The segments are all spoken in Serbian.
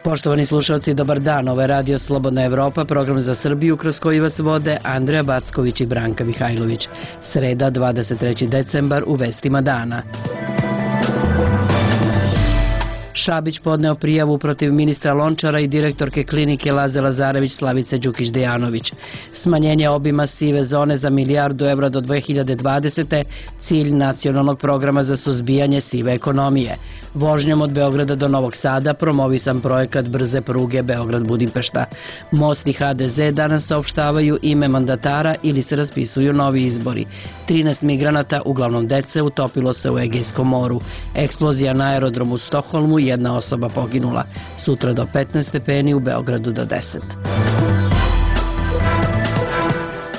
Poštovani slušalci, dobar dan. Ovo je Radio Slobodna Evropa, program za Srbiju kroz koji vas vode Andreja Backović i Branka Mihajlović. Sreda, 23. decembar, u vestima dana. Šabić podneo prijavu protiv ministra Lončara i direktorke klinike Laze Lazarević Slavice Đukić-Dejanović. Smanjenje obima sive zone za €1.000.000 do 2020. cilj nacionalnog programa za suzbijanje sive ekonomije. Vožnjom od Beograda do Novog Sada promovisan projekat brze pruge Beograd-Budimpešta. Most i HDZ danas saopštavaju ime mandatara ili se raspisuju novi izbori. 13 migranata, uglavnom dece, utopilo se u Egejskom moru. Eksplozija na aerodromu u Stokholmu, jedna osoba poginula. Sutra do 15 stepeni, u Beogradu do 10.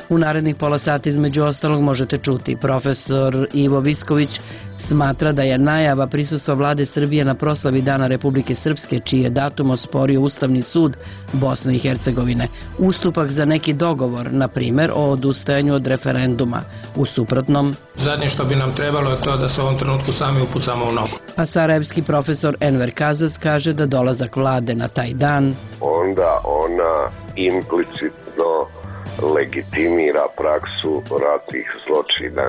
U narednih pola sata između ostalog možete čuti profesor Ivo Visković smatra da je najava prisustva vlade Srbije na proslavi Dana Republike Srpske, čiji je datum osporio Ustavni sud Bosne i Hercegovine, ustupak za neki dogovor, na primer o odustajanju od referenduma. U suprotnom, zadnje što bi nam trebalo je to da se u ovom trenutku sami upucamo u nogu. A sarajevski profesor Enver Kazac kaže da dolazak vlade na taj dan onda ona implicitno legitimira praksu ratnih zločina.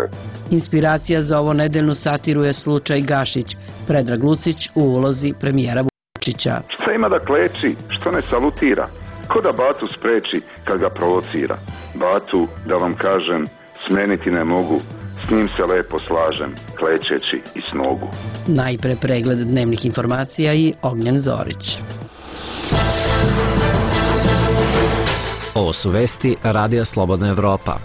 Inspiracija za ovo nedeljnu satiru je slučaj Gašić, Predrag Lucić u ulozi premijera Vučića. Šta ima da kleči, što ne salutira? Ko da Batu spreči kad ga provocira? Batu, da vam kažem, smeniti ne mogu, s njim se lepo slažem, klečeći i s nogu. Najpre pregled dnevnih informacija i Ognjen Zorić. Ovo su vesti Radija Slobodna Evropa.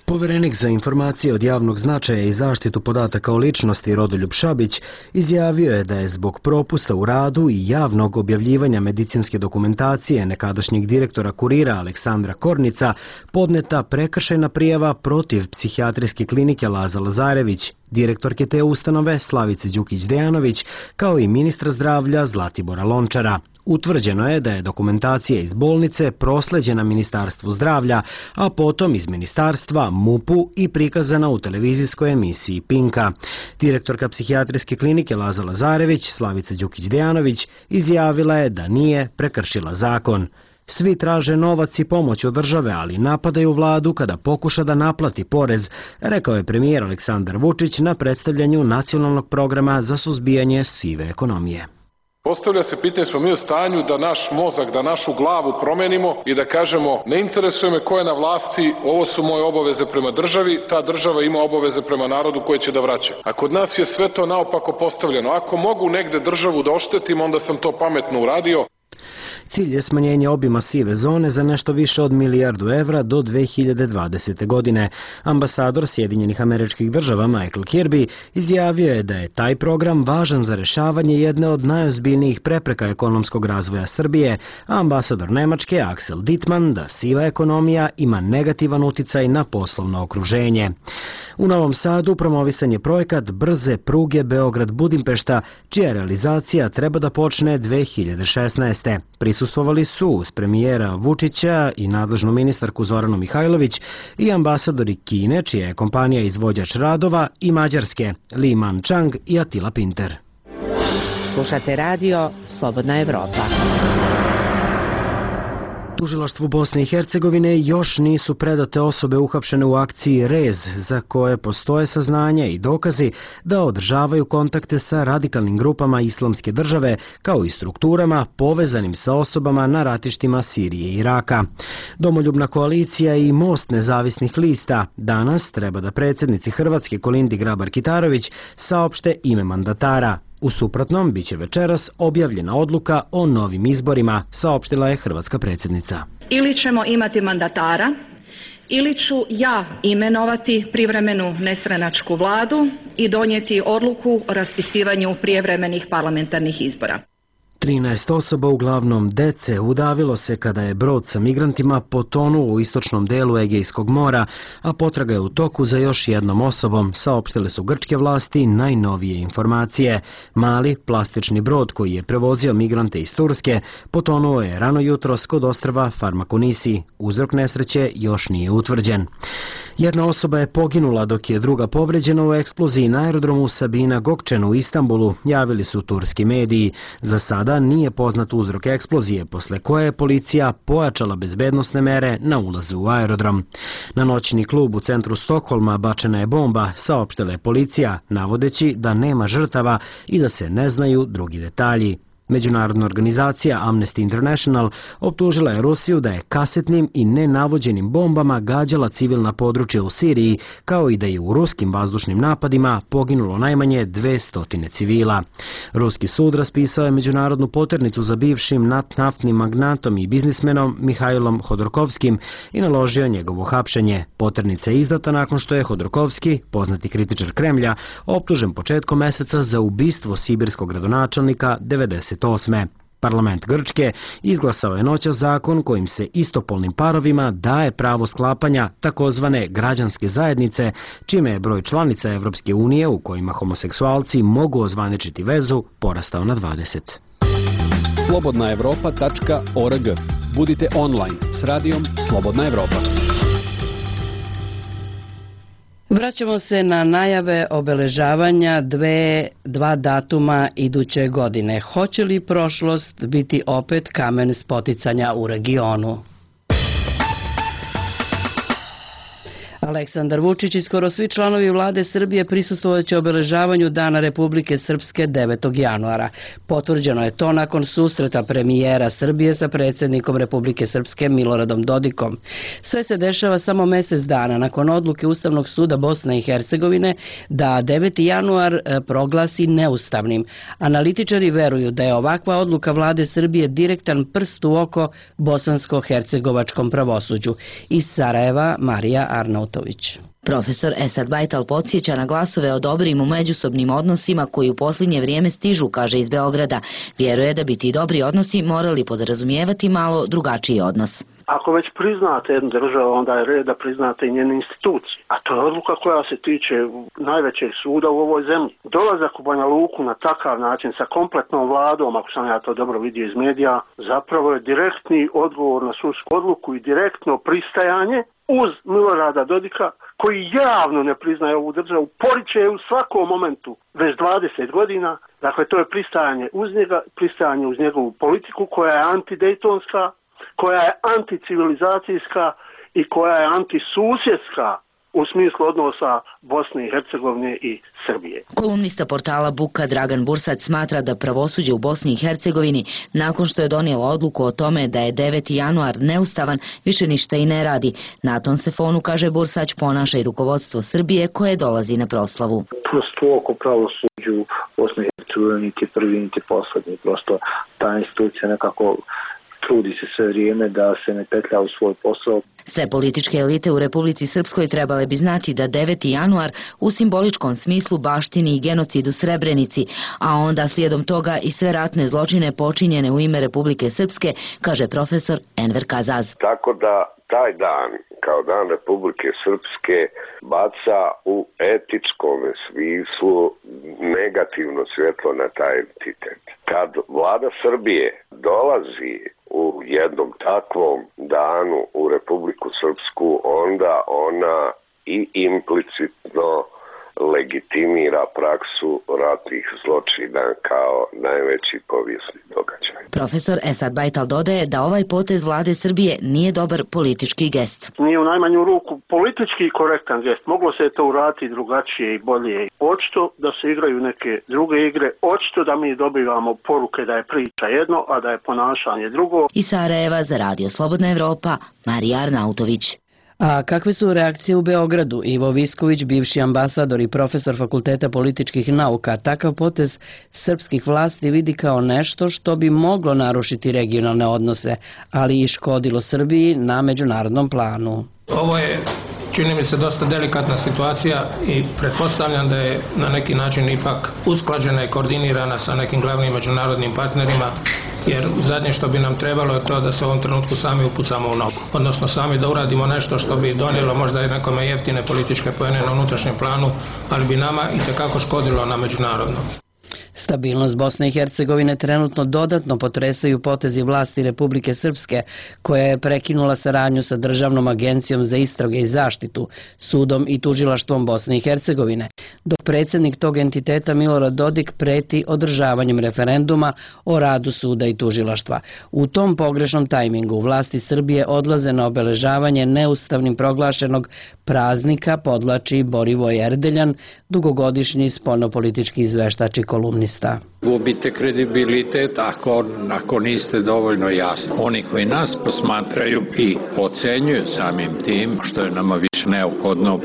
Poverenik za informacije od javnog značaja i zaštitu podataka o ličnosti Rodoljub Šabić izjavio je da je zbog propusta u radu i javnog objavljivanja medicinske dokumentacije nekadašnjeg direktora Kurira Aleksandra Kornica podneta prekršajna prijava protiv psihijatrijske klinike Laza Lazarević, direktorke te ustanove Slavice Đukić-Dejanović, kao i ministra zdravlja Zlatibora Lončara. Utvrđeno je da je dokumentacija iz bolnice prosleđena Ministarstvu zdravlja, a potom iz ministarstva MUP-u i prikazana u televizijskoj emisiji Pinka. Direktorka psihijatrijske klinike Laza Lazarević, Slavica Đukić-Dejanović, izjavila je da nije prekršila zakon. Svi traže novac i pomoć od države, ali napadaju vladu kada pokuša da naplati porez, rekao je premijer Aleksandar Vučić na predstavljanju nacionalnog programa za suzbijanje sive ekonomije. Postavlja se pitanje, smo mi u stanju da naš mozak, da našu glavu promenimo i da kažemo ne interesuje me ko je na vlasti, ovo su moje obaveze prema državi, ta država ima obaveze prema narodu koje će da vraća. A kod nas je sve to naopako postavljeno. Ako mogu negde državu da oštetim, onda sam to pametno uradio. Cilj je smanjenje obima sive zone za nešto više od €1.000.000 do 2020. godine. Ambasador Sjedinjenih Američkih Država Michael Kirby izjavio je da je taj program važan za rešavanje jedne od najozbiljnijih prepreka ekonomskog razvoja Srbije, a ambasador Nemačke Axel Dittmann da siva ekonomija ima negativan uticaj na poslovno okruženje. U Novom Sadu promovisan je projekat brze pruge Beograd-Budimpešta, čija realizacija treba da počne 2016. Prisustvovali su uz premijera Vučića i nadležnu ministarku Zoranu Mihajlović i ambasadori Kine, čija je kompanija izvođač radova, i Mađarske, Li Man-Chang i Attila Pinter. Slušate radio Slobodna Evropa. Tužilaštvu Bosne i Hercegovine još nisu predate osobe uhapšene u akciji Rez, za koje postoje saznanja i dokazi da održavaju kontakte sa radikalnim grupama Islamske države, kao i strukturama povezanim sa osobama na ratištima Sirije i Iraka. Domoljubna koalicija i Most nezavisnih lista danas treba da predsjednici Hrvatske Kolindi Grabar-Kitarović saopšte ime mandatara. U suprotnom, biće večeras objavljena odluka o novim izborima, saopštila je hrvatska predsjednica. Ili ćemo imati mandatara, ili ću ja imenovati privremenu nestranačku vladu i donijeti odluku o raspisivanju prijevremenih parlamentarnih izbora. 13 osoba, uglavnom dece, udavilo se kada je brod sa migrantima potonuo u istočnom delu Egejskog mora, a potraga je u toku za još jednom osobom, saopštile su grčke vlasti najnovije informacije. Mali plastični brod koji je prevozio migrante iz Turske potonuo je rano jutros kod ostrva Farmakonisi. Uzrok nesreće još nije utvrđen. Jedna osoba je poginula dok je druga povređena u eksploziji na aerodromu Sabina Gokčen u Istanbulu, javili su turski mediji. Za sada nije poznat uzrok eksplozije, posle koje je policija pojačala bezbednosne mere na ulazu u aerodrom. Na noćni klub u centru Stokholma bačena je bomba, saopštila je policija, navodeći da nema žrtava i da se ne znaju drugi detalji. Međunarodna organizacija Amnesty International optužila je Rusiju da je kasetnim i nenavođenim bombama gađala civilna područja u Siriji, kao i da je u ruskim vazdušnim napadima poginulo najmanje 200 civila. Ruski sud raspisao je međunarodnu poternicu za bivšim naftnim magnatom i biznismenom Mihajlom Hodorkovskim i naložio njegovo hapšenje. Poternica je izdata nakon što je Hodorkovski, poznati kritičar Kremlja, optužen početkom meseca za ubistvo sibirskog gradonačelnika 1998. Parlament Grčke izglasao je noćas zakon kojim se istopolnim parovima daje pravo sklapanja takozvane građanske zajednice, čime je broj članica Evropske unije u kojima homoseksualci mogu ozvaničiti vezu porastao na 20. Slobodnaevropa.org. Budite online s radijom Slobodna Evropa. Vraćamo se na najave obeležavanja dva datuma iduće godine. Hoće li prošlost biti opet kamen spoticanja u regionu? Aleksandar Vučić i skoro svi članovi vlade Srbije prisustvovaće obeležavanju Dana Republike Srpske 9. januara. Potvrđeno je to nakon susreta premijera Srbije sa predsjednikom Republike Srpske Miloradom Dodikom. Sve se dešava samo mjesec dana nakon odluke Ustavnog suda Bosne i Hercegovine da 9. januar proglasi neustavnim. Analitičari veruju da je ovakva odluka vlade Srbije direktan prst u oko bosansko-hercegovačkom pravosuđu. Iz Sarajeva Marija Arnaut. Profesor Esad Bajtal podsjeća na glasove o dobrim u međusobnim odnosima koji u posljednje vrijeme stižu, kaže iz Beograda. Vjeruje da bi ti dobri odnosi morali podrazumijevati malo drugačiji odnos. Ako već priznate jednu državu, onda je red da priznate i njene institucije. A to je odluka koja se tiče najvećeg suda u ovoj zemlji. Dolazak u Banja Luku na takav način sa kompletnom vladom, ako sam ja to dobro vidio iz medija, zapravo je direktni odgovor na sudsku odluku i direktno pristajanje uz Milorada Dodika, koji javno ne priznaje ovu državu, poriče je u svakom momentu već 20 godina. Dakle, to je pristajanje uz njega, pristajanje uz njegovu politiku koja je antidejtonska, koja je anticivilizacijska i koja je antisusjedska u smislu odnosa Bosne i Hercegovine i Srbije. Kolumnista portala Buka Dragan Bursac smatra da pravosuđe u Bosni i Hercegovini, nakon što je donijelo odluku o tome da je 9. januar neustavan, više ništa i ne radi. Na tom se fonu, kaže Bursać, ponaša i rukovodstvo Srbije koje dolazi na proslavu. Prosto oko pravosuđu u Bosni i Hercegovini niti prvi niti poslednji. Prosto ta institucija nekako trudi se sve vrijeme da se ne petlja u svoj posao. Sve političke elite u Republici Srpskoj trebale bi znati da 9. januar u simboličkom smislu baštini i genocid u Srebrenici, a onda slijedom toga i sve ratne zločine počinjene u ime Republike Srpske, kaže profesor Enver Kazaz. Tako da taj dan, kao dan Republike Srpske, baca u etičkom smislu negativno svjetlo na taj entitet. Kad vlada Srbije dolazi u jednom takvom danu u Republiku Srpsku, onda ona i implicitno legitimira praksu ratnih zločina kao najveći povijesni događaj. Profesor Esad Bajtal dodaje da ovaj potez vlade Srbije nije dobar politički gest. Nije u najmanju ruku politički korektan gest. Moglo se to uraditi drugačije i bolje. Očito da se igraju neke druge igre, očito da mi dobivamo poruke da je priča jedno, a da je ponašanje drugo. Iz Sarajeva za Radio Slobodna Evropa, Marija Arnautović. A kakve su reakcije u Beogradu? Ivo Visković, bivši ambasador i profesor Fakulteta političkih nauka, takav potez srpskih vlasti vidi kao nešto što bi moglo narušiti regionalne odnose, ali i škodilo Srbiji na međunarodnom planu. Ovo je, čini mi se, dosta delikatna situacija i pretpostavljam da je na neki način ipak usklađena i koordinirana sa nekim glavnim međunarodnim partnerima jer zadnje što bi nam trebalo je to da se u ovom trenutku sami upucamo u nogu, odnosno sami da uradimo nešto što bi donijelo možda i nekome jeftine političke poene na unutrašnjem planu, ali bi nama itekako škodilo na međunarodnom. Stabilnost Bosne i Hercegovine trenutno dodatno potresaju potezi vlasti Republike Srpske, koja je prekinula saradnju sa Državnom agencijom za istrage i zaštitu, sudom i tužilaštvom Bosne i Hercegovine, dok predsjednik tog entiteta Milorad Dodik preti održavanjem referenduma o radu suda i tužilaštva. U tom pogrešnom tajmingu vlasti Srbije odlaze na obeležavanje neustavnim proglašenog praznika, podlači Borivoje Erdeljan, dugogodišnji spoljnopolitički izveštač i kolumnista. Gubite kredibilitet ako niste dovoljno jasni. Oni koji nas posmatraju i ocenjuju samim tim, što je nama više neophodno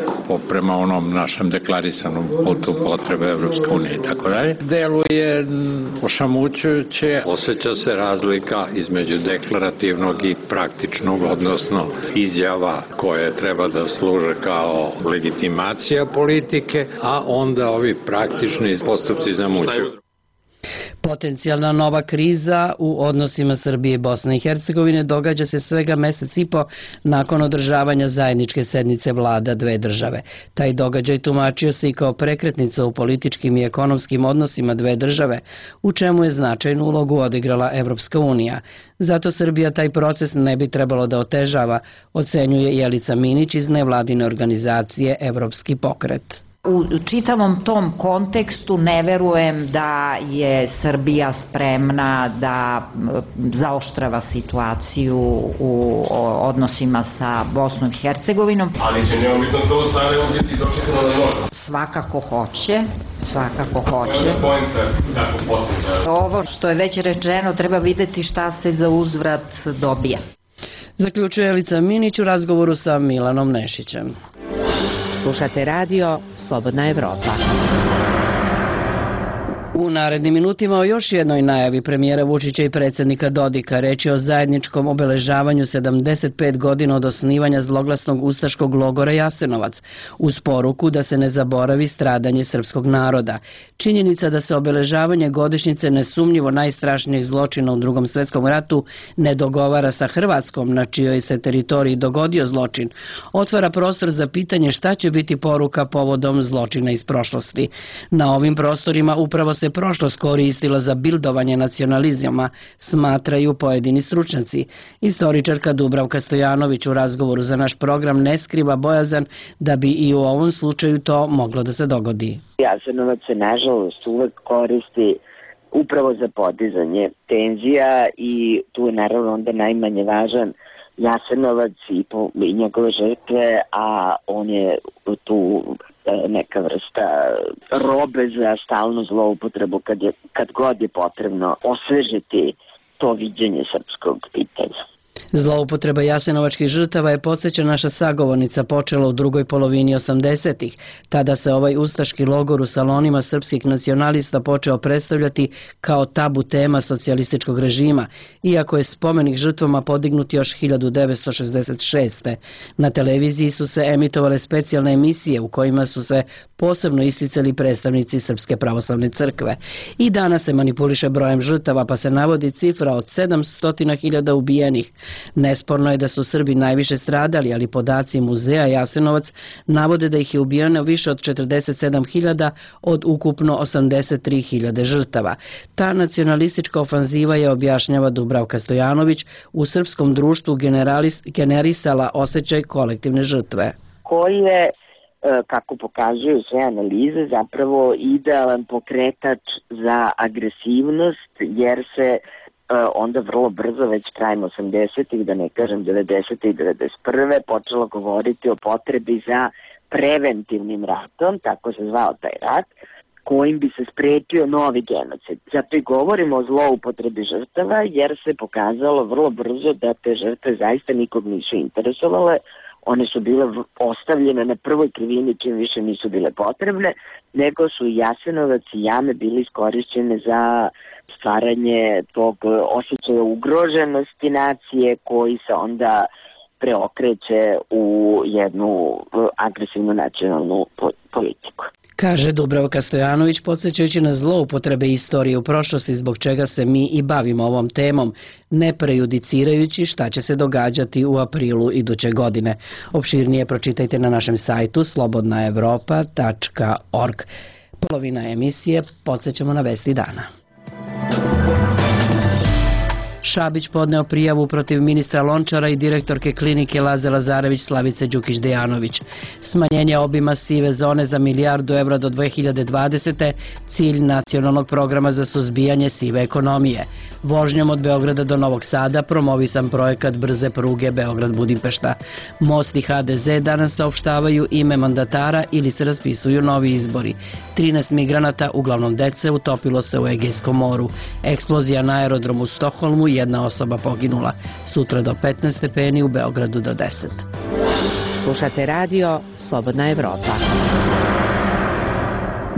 prema onom našem deklarisanom putu potrebe Evropske unije i tako dalje, deluje ošamućujuće. Osjeća se razlika između deklarativnog i praktičnog, odnosno izjava koje treba da služe kao legitimacija politike, a onda ovi praktični postupci zamućuju. Potencijalna nova kriza u odnosima Srbije i Bosne i Hercegovine događa se svega mesec i po nakon održavanja zajedničke sednice vlada dve države. Taj događaj tumačio se i kao prekretnica u političkim i ekonomskim odnosima dve države, u čemu je značajnu ulogu odigrala Evropska unija. Zato Srbija taj proces ne bi trebalo da otežava, ocenjuje Jelica Minić iz nevladine organizacije Evropski pokret. U čitavom tom kontekstu ne verujem da je Srbija spremna da zaoštrava situaciju u odnosima sa Bosnom i Hercegovinom. Ali će neomitno to u Sarajevu biti dočekano na nož? Svakako hoće. Ovo što je već rečeno treba videti šta se za uzvrat dobija. Zaključuje Jelica Minić u razgovoru sa Milanom Nešićem. Slušate radio Slobodna Evropa. U narednim minutima o još jednoj najavi premijera Vučića i predsjednika Dodika. Reč je o zajedničkom obeležavanju 75 godina od osnivanja zloglasnog ustaškog logora Jasenovac, uz poruku da se ne zaboravi stradanje srpskog naroda. Činjenica da se obeležavanje godišnjice nesumnjivo najstrašnijeg zločina u Drugom svjetskom ratu ne dogovara sa Hrvatskom, na čijoj se teritoriji dogodio zločin, otvara prostor za pitanje šta će biti poruka povodom zločina iz prošlosti. Na ovim prostorima upravo se prošlost koristila za bildovanje nacionalizama, smatraju pojedini stručnjaci. Istoričarka Dubravka Stojanović u razgovoru za naš program ne skriva bojazan da bi i u ovom slučaju to moglo da se dogodi. Jasenovac se nažalost uvek koristi upravo za podizanje tenzija i tu je naravno onda najmanje važan Jasenovac i njegove žrtve, a on je tu neka vrsta robe za stalnu zloupotrebu kad god je potrebno osvežiti to viđenje srpskog pitanja. Zloupotreba jasenovačkih žrtava je, podsjeća naša sagovornica, počela u drugoj polovini 80-ih. Tada se ovaj ustaški logor u salonima srpskih nacionalista počeo predstavljati kao tabu tema socijalističkog režima, iako je spomenik žrtvama podignut još 1966. Na televiziji su se emitovale specijalne emisije u kojima su se posebno isticali predstavnici Srpske pravoslavne crkve. I danas se manipuliše brojem žrtava, pa se navodi cifra od 700.000 ubijenih. Nesporno je da su Srbi najviše stradali, ali podaci muzeja Jasenovac navode da ih je ubijeno više od 47.000 od ukupno 83.000 žrtava. Ta nacionalistička ofanziva je, objašnjava Dubravka Stojanović, u srpskom društvu generisala osjećaj kolektivne žrtve. Koji je, kako pokazuju sve analize, zapravo idealan pokretač za agresivnost, jer se onda vrlo brzo, već krajem 80-ih, da ne kažem 90-ih i 91. počelo govoriti o potrebi za preventivnim ratom, tako se zvao taj rat, kojim bi se sprečio novi genocid. Zato i govorimo o zloupotrebi žrtava, jer se pokazalo vrlo brzo da te žrtve zaista nikog nisu interesovale. One su bile ostavljene na prvoj krivini čim više nisu bile potrebne, nego su Jasenovac i jame bili iskorišćene za stvaranje tog osjećaja ugroženosti nacije koji se onda preokreće u jednu agresivnu nacionalnu politiku. kaže Dubravka Stojanović, podsjećajući na zloupotrebe istorije u prošlosti zbog čega se mi i bavimo ovom temom, ne prejudicirajući šta će se događati u aprilu iduće godine. Opširnije pročitajte na našem sajtu slobodnaevropa.org. Polovina emisije podsjećamo na vesti dana. Šabić podneo prijavu protiv ministra Lončara i direktorke klinike Laze Lazarević Slavice Đukić-Dejanović. Smanjenje obima sive zone za milijardu evra do 2020. cilj nacionalnog programa za suzbijanje sive ekonomije. Vožnjom od Beograda do Novog Sada promovisan projekat brze pruge Beograd-Budimpešta. Most i HDZ danas saopštavaju ime mandatara ili se raspisuju novi izbori. 13 migranata, uglavnom dece, utopilo se u Egejskom moru. Eksplozija na aerodromu u Stokholmu, jedna osoba poginula. Sutra do 15 stepeni, u Beogradu do 10. Slušate radio Slobodna Evropa.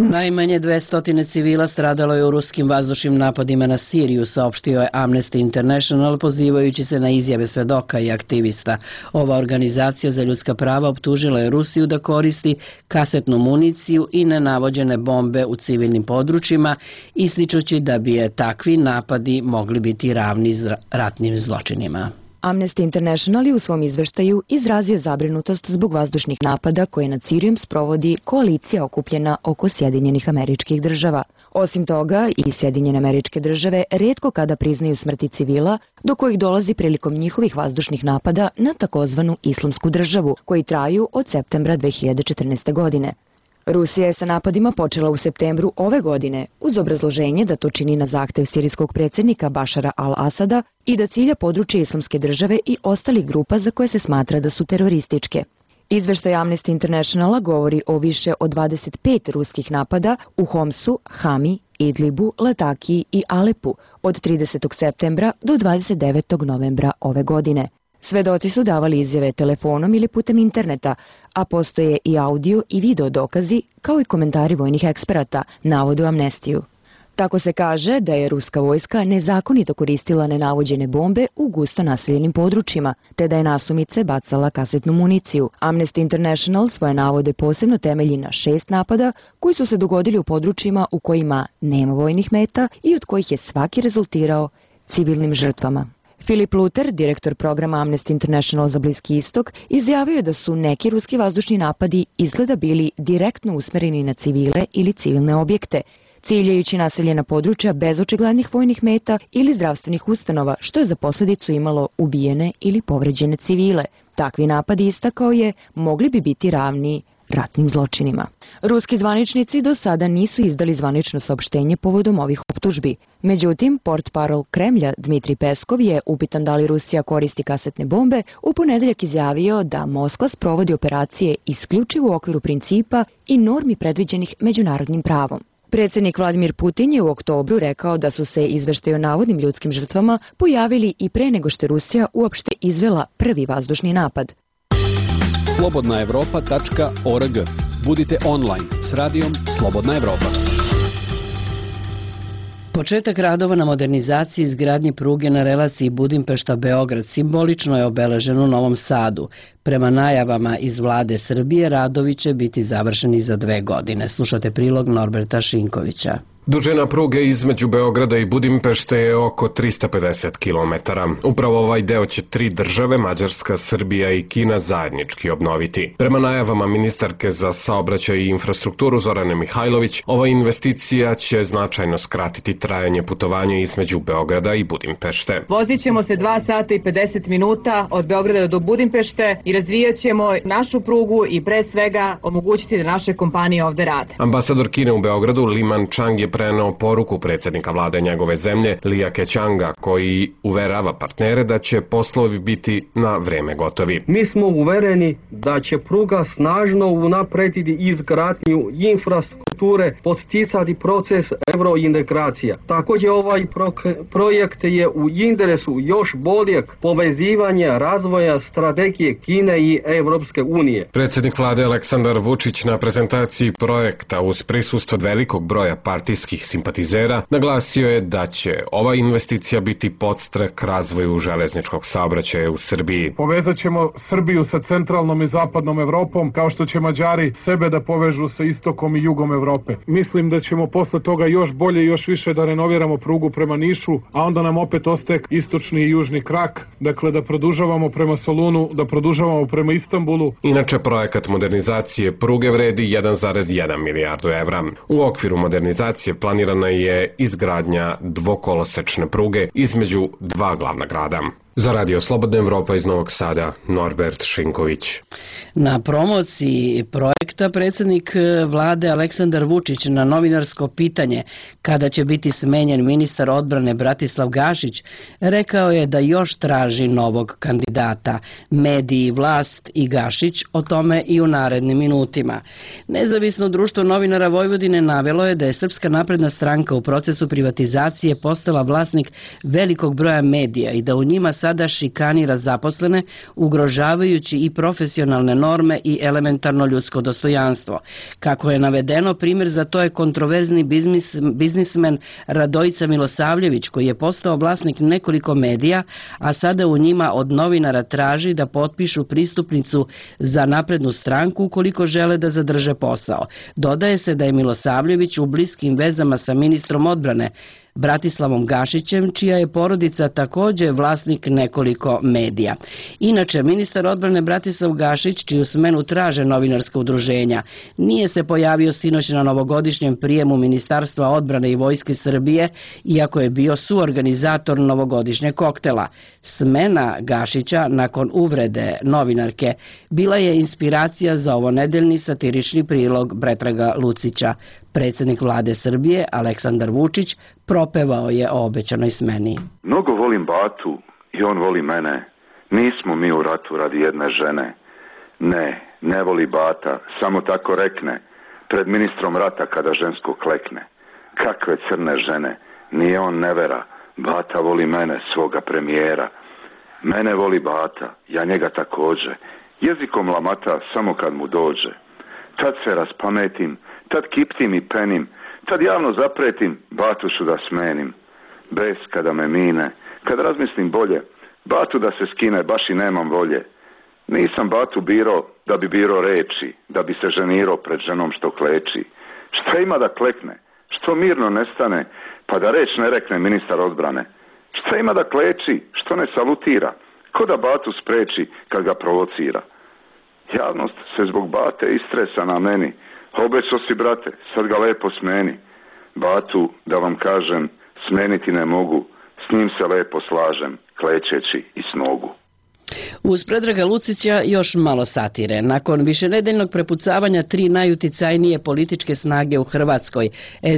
Najmanje 200 civila stradalo je u ruskim vazdušnim napadima na Siriju, saopštio je Amnesty International, pozivajući se na izjave svedoka i aktivista. Ova organizacija za ljudska prava optužila je Rusiju da koristi kasetnu municiju i nenavođene bombe u civilnim područjima, ističući da bi je takvi napadi mogli biti ravni ratnim zločinima. Amnesty International je u svom izveštaju izrazio zabrinutost zbog vazdušnih napada koje nad Sirijom sprovodi koalicija okupljena oko Sjedinjenih Američkih Država. Osim toga, i Sjedinjene Američke Države retko kada priznaju smrti civila, do kojih dolazi prilikom njihovih vazdušnih napada na takozvanu Islamsku državu, koji traju od septembra 2014. godine. Rusija je sa napadima počela u septembru ove godine uz obrazloženje da to čini na zahtev sirijskog predsjednika Bašara al-Asada i da cilja područje Islamske države i ostalih grupa za koje se smatra da su terorističke. Izveštaj Amnesty Internationala govori o više od 25 ruskih napada u Homsu, Hami, Idlibu, Latakiji i Alepu od 30. septembra do 29. novembra ove godine. Svedoci su davali izjave telefonom ili putem interneta, a postoje i audio i video dokazi, kao i komentari vojnih eksperata, navode u Amnestiju. Tako se kaže da je ruska vojska nezakonito koristila nenavođene bombe u gusto naseljenim područjima, te da je nasumice bacala kasetnu municiju. Amnesty International svoje navode posebno temelji na 6 napada koji su se dogodili u područjima u kojima nema vojnih meta i od kojih je svaki rezultirao civilnim žrtvama. Filip Luter, direktor programa Amnesty International za Bliski istok, izjavio je da su neki ruski vazdušni napadi izgleda bili direktno usmereni na civile ili civilne objekte, ciljajući naseljena područja bez očiglednih vojnih meta ili zdravstvenih ustanova, što je za posljedicu imalo ubijene ili povređene civile. Takvi napadi, istakao je, mogli bi biti ravni ratnim zločinima. Ruski zvaničnici do sada nisu izdali zvanično saopštenje povodom ovih optužbi. Međutim, portparol Kremlja Dmitri Peskov je, upitan da li Rusija koristi kasetne bombe, u ponedeljak izjavio da Moskva sprovodi operacije isključivo u okviru principa i normi predviđenih međunarodnim pravom. Predsjednik Vladimir Putin je u oktobru rekao da su se izveštaji o navodnim ljudskim žrtvama pojavili i pre nego što je Rusija uopšte izvela prvi vazdušni napad. slobodnaevropa.org. Budite online s radijom Slobodna Evropa. Početak radova na modernizaciji izgradnje pruge na relaciji Budimpešta-Beograd simbolično je obeležen u Novom Sadu. Prema najavama iz vlade Srbije, radovi će biti završeni za 2 godine. Slušate prilog Norberta Šinkovića. Dužina pruge između Beograda i Budimpešte je oko 350 km. Upravo ovaj deo će 3 države, Mađarska, Srbija i Kina, zajednički obnoviti. Prema najavama ministarke za saobraćaj i infrastrukturu Zorane Mihajlović, ova investicija će značajno skratiti trajanje putovanja između Beograda i Budimpešte. Vozit ćemo se 2 sata i 50 minuta od Beograda do Budimpešte i razvijat ćemo našu prugu i pre svega omogućiti da naše kompanije ovde rade. Ambasador Kine u Beogradu Liman Chang je preneo poruku predsjednika vlade njegove zemlje Lija Kećanga, koji uverava partnere da će poslovi biti na vreme gotovi. Mi smo uvereni da će pruga snažno unaprediti izgradnju infrastrukture infrastrukture podsticati proces eurointegracija. Također ovaj projekt je u interesu još boljeg povezivanja razvoja strategije Kine i Evropske unije. Predsjednik vlade Aleksandar Vučić na prezentaciji projekta uz prisustvo velikog broja partijskih simpatizera naglasio je da će ova investicija biti podstrek razvoju železničkog saobraćaja u Srbiji. Povezat ćemo Srbiju sa centralnom i zapadnom Evropom, kao što će Mađari sebe da povežu sa istokom i jugom Evrope. Mislim da ćemo posle toga još bolje i još više da renoviramo prugu prema Nišu, a onda nam opet ostaje istočni i južni krak, dakle da produžavamo prema Solunu, da produžavamo prema Istanbulu. Inače, projekat modernizacije pruge vredi 1,1 milijardu evra. U okviru modernizacije planirana je izgradnja dvokolosečne pruge između dva glavna grada. Za Radio Slobodna Evropa iz Novog Sada, Norbert Šinković. Na promociji projekta predsjednik vlade Aleksandar Vučić na novinarsko pitanje kada će biti smenjen ministar odbrane Bratislav Gašić rekao je da još traži novog kandidata. Mediji, vlast i Gašić o tome i u narednim minutima. Nezavisno društvo novinara Vojvodine navelo je da je Srpska napredna stranka u procesu privatizacije postala vlasnik velikog broja medija i da u njima sada šikanira zaposlene, ugrožavajući i profesionalne norme i elementarno ljudsko dostojanstvo. Kako je navedeno, primjer za to je kontroverzni biznismen Radojica Milosavljević, koji je postao vlasnik nekoliko medija, a sada u njima od novinara traži da potpišu pristupnicu za naprednu stranku ukoliko žele da zadrže posao. Dodaje se da je Milosavljević u bliskim vezama sa ministrom odbrane Bratislavom Gašićem, čija je porodica također vlasnik nekoliko medija. Inače, ministar odbrane Bratislav Gašić, čiju smenu traže novinarska udruženja, nije se pojavio sinoć na novogodišnjem prijemu Ministarstva odbrane i Vojske Srbije, iako je bio suorganizator novogodišnjeg koktela. Smena Gašića nakon uvrede novinarke bila je inspiracija za ovonedeljni satirični prilog Predraga Lucića. Predsjednik vlade Srbije Aleksandar Vučić propevao je o obećanoj smeni. Mnogo volim Batu i on voli mene. Nismo mi u ratu radi jedne žene. Ne voli Bata, samo tako rekne, pred ministrom rata kada žensko klekne. Kakve crne žene, nije on nevera, Bata voli mene, svoga premijera. Mene voli Bata, ja njega također, jezikom lamata samo kad mu dođe. Tad se raspametim, tad kiptim i penim, tad javno zapretim, Batušu da smenim. Bes kada me mine, kad razmislim bolje, Batu da se skine, baš i nemam volje. Nisam Batu biro da bi biro reči, da bi se ženirao pred ženom što kleči. Šta ima da klekne, što mirno nestane, pa da reč ne rekne ministar odbrane. Šta ima da kleči, što ne salutira, ko da Batu spreči kad ga provocira. Javnost se zbog Bate istresa na meni. Obećo si, brate, sad ga lepo smeni. Batu, da vam kažem, smeniti ne mogu, s njim se lepo slažem, klečeći i s nogu. Uz Predraga Lucića još malo satire. Nakon višenedeljnog prepucavanja tri najuticajnije političke snage u Hrvatskoj,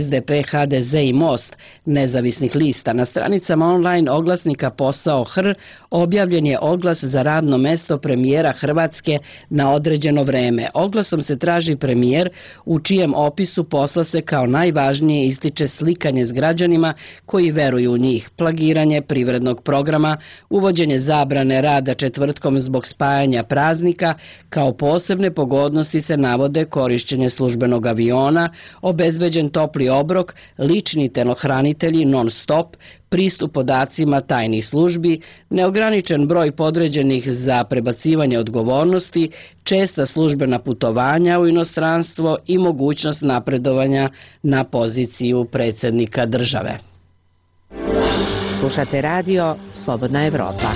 SDP, HDZ i Most, nezavisnih lista, na stranicama online oglasnika Posao HR objavljen je oglas za radno mesto premijera Hrvatske na određeno vreme. Oglasom se traži premijer u čijem opisu posla se kao najvažnije ističe slikanje s građanima koji veruju u njih, plagiranje privrednog programa, uvođenje zabrane rada četvrtkom zbog spajanja praznika, kao posebne pogodnosti se navode korišćenje službenog aviona, obezbeđen topli obrok, lični telohranitelji non-stop, pristup podacima tajnih službi, neograničen broj podređenih za prebacivanje odgovornosti, česta službena putovanja u inostranstvo i mogućnost napredovanja na poziciju predsjednika države. Slušate radio Slobodna Evropa.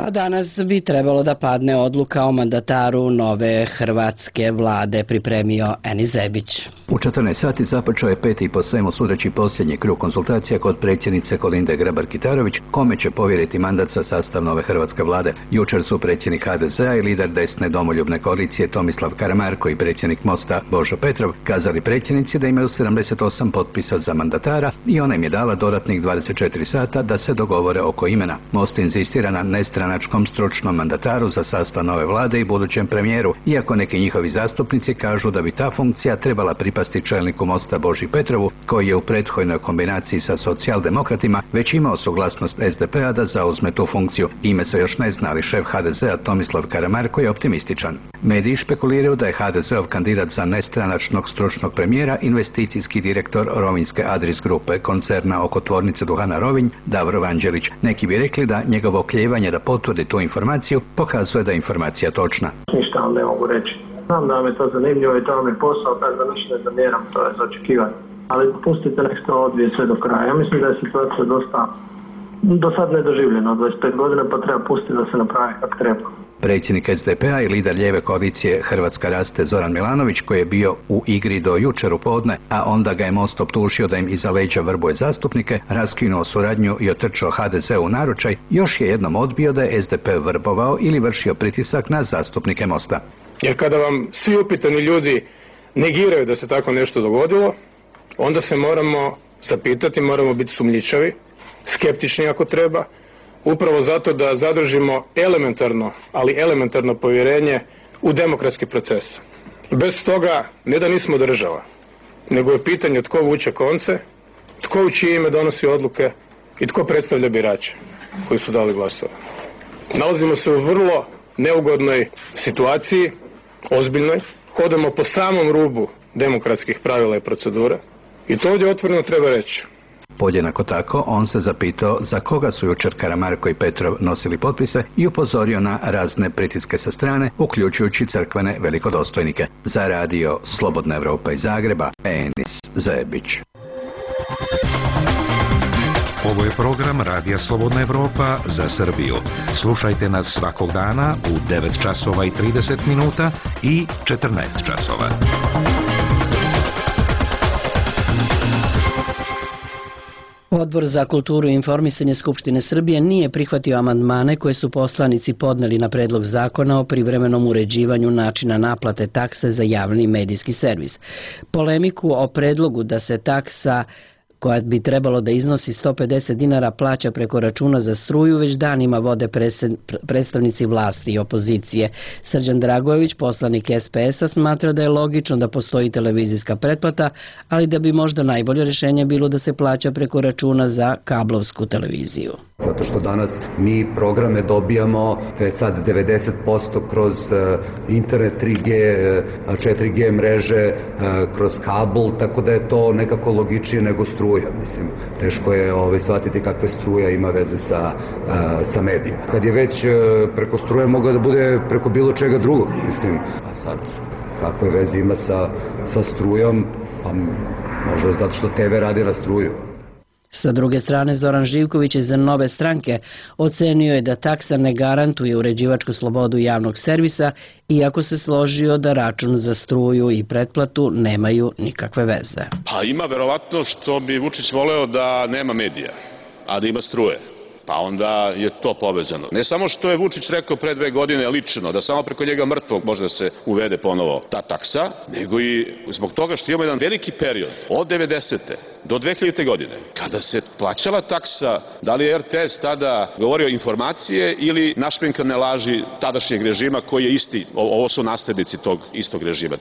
A danas bi trebalo da padne odluka o mandataru nove hrvatske vlade, pripremio Eni Zebić. U 14 sati započeo je peti po svemu sudeći posljednji krug konsultacija kod predsjednice Kolinde Grabar-Kitarović, kome će povjeriti mandat sa sastav nove hrvatske vlade. Jučer su predsjednik HDZ-a i lider desne domoljubne koalicije Tomislav Karamarko i predsjednik Mosta Božo Petrov kazali predsjednici da imaju 78 potpisa za mandatara i ona im je dala dodatnih 24 sata da se dogovore oko imena. Most inzistira na nestranačkom nestranačkom stručnom mandataru za sastav nove vlade i budućem premijeru, iako neki njihovi zastupnici kažu da bi ta funkcija trebala pripasti čelniku Mosta Boži Petrovu, koji je u prethodnoj kombinaciji sa socijaldemokratima već imao suglasnost SDP-a da zauzme tu funkciju. Ime se još ne zna, ali šef HDZ-a Tomislav Karamarko je optimističan. Mediji špekuliraju da je HDZ-ov kandidat za nestranačnog stručnog premijera investicijski direktor Rovinjske Adris grupe, koncerna oko tvornice duhana Rovinj, Davor Vanđelić. Neki bi rekli da njegovo oklijevanje da potvrdi tu informaciju pokazuje da je informacija točna. Ništa vam ne mogu reći. Znam da mi je to zanimljivo i to mi je posao, tako da ništa ne zamjeram, to je za očekivanje. Ali pustite nek se to odvije sve do kraja. Ja mislim da je situacija dosta do sad nedoživljena, 25 godina, pa treba pustiti da se napravi kako treba. Predsjednik SDP-a i lider lijeve koalicije Hrvatska raste Zoran Milanović, koji je bio u igri do jučer u podne, a onda ga je Most optužio da im iza leđa vrbuje zastupnike, raskinuo suradnju i otrčao HDZ u naručaj, još je jednom odbio da je SDP vrbovao ili vršio pritisak na zastupnike Mosta. Jer kada vam svi upitani ljudi negiraju da se tako nešto dogodilo, onda se moramo zapitati, moramo biti sumnjičavi, skeptični ako treba, upravo zato da zadržimo elementarno povjerenje u demokratski proces. Bez toga ne da nismo država, nego je pitanje tko vuče konce, tko u čije ime donosi odluke i tko predstavlja birače koji su dali glasove. Nalazimo se u vrlo neugodnoj situaciji, ozbiljnoj, hodamo po samom rubu demokratskih pravila i procedura i to ovdje otvoreno treba reći. Podjednako tako, on se zapitao za koga su jučer Karamarko i Petrov nosili potpise i upozorio na razne pritiske sa strane, uključujući crkvene velikodostojnike. Za radio Slobodna Evropa iz Zagreba, Enis Zebić. Ovo je program Radija Slobodna Evropa za Srbiju. Slušajte nas svakog dana u 9 časova i 30 minuta i 14 časova. Odbor za kulturu i informisanje Skupštine Srbije nije prihvatio amandmane koje su poslanici podneli na predlog zakona o privremenom uređivanju načina naplate takse za javni medijski servis. Polemiku o predlogu da se taksa koja bi trebalo da iznosi 150 dinara plaća preko računa za struju već danima vode predstavnici vlasti i opozicije. Srđan Dragojević, poslanik SPS-a, smatra da je logično da postoji televizijska pretplata, ali da bi možda najbolje rješenje bilo da se plaća preko računa za kablovsku televiziju. Zato što danas mi programe dobijamo već sad 90% kroz internet 3G, 4G mreže, kroz kabel, tako da je to nekako logičnije nego struja. Mislim, teško je shvatiti kakve struja ima veze sa medijima. Kad je već preko struje, mogao da bude preko bilo čega drugog, mislim. A sad, kakve veze ima sa strujom, pa možda zato što TV radi na struju. Sa druge strane, Zoran Živković iz Nove stranke ocenio je da taksa ne garantuje uređivačku slobodu javnog servisa, iako se složio da račun za struju i pretplatu nemaju nikakve veze. Pa ima verovatno što bi Vučić voleo da nema medija, a da ima struje. Pa onda je to povezano. Ne samo što je Vučić rekao pre 2 godine lično, da samo preko njega mrtvog može da se uvede ponovo ta taksa, nego i zbog toga što imamo jedan veliki period od 90. do 2000. godine, kada se plaćala taksa, da li je RTS tada govorio informacije ili našminkane laži tadašnjeg režima koji je isti, ovo su naslednici tog istog režima.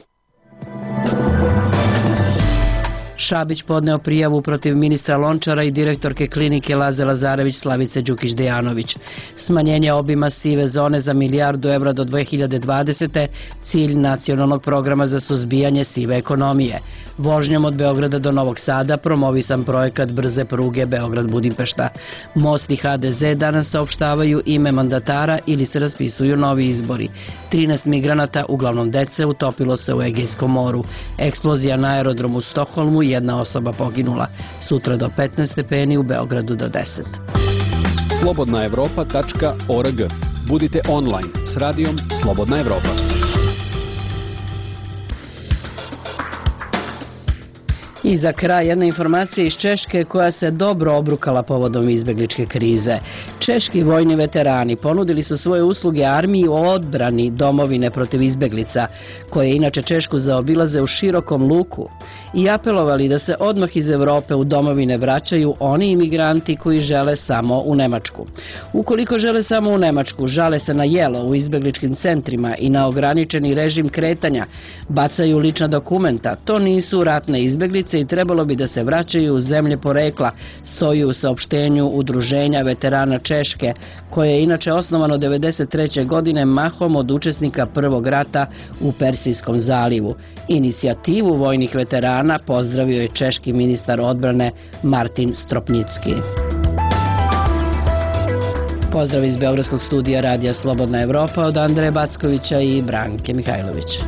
Šabić podneo prijavu protiv ministra Lončara i direktorke klinike Laze Lazarević Slavice Đukić-Dejanović. Smanjenje obima sive zone za milijardu evra do 2020. cilj nacionalnog programa za suzbijanje sive ekonomije. Vožnjom od Beograda do Novog Sada promovisan projekat brze pruge Beograd-Budimpešta. Most i HDZ danas saopštavaju ime mandatara ili se raspisuju novi izbori. 13 migranata, uglavnom dece, utopilo se u Egejskom moru. Eksplozija na aerodromu u Stokholmu, 1 osoba poginula. Sutra do 15 stepeni, u Beogradu do 10. slobodnaevropa.org. Budite online s radijom Slobodna Evropa. I za kraj jedna informacija iz Češke koja se dobro obrukala povodom izbegličke krize. Češki vojni veterani ponudili su svoje usluge armiji u odbrani domovine protiv izbeglica, koje inače Češku zaobilaze u širokom luku. i apelovali da se odmah iz Evrope u domovine vraćaju oni imigranti koji žele samo u Nemačku. Ukoliko žele samo u Nemačku, žale se na jelo u izbegličkim centrima i na ograničeni režim kretanja, bacaju lična dokumenta, to nisu ratne izbeglice i trebalo bi da se vraćaju u zemlje porekla, stoji u saopštenju Udruženja veterana Češke, koje je inače osnovano 1993. godine mahom od učesnika Prvog rata u Persijskom zalivu. Inicijativu vojnih veterana pozdravio je češki ministar odbrane Martin Stropnicki. Pozdrav iz Beogradskog studija Radija Slobodna Evropa od Andreja Backovića i Branke Mihajlović.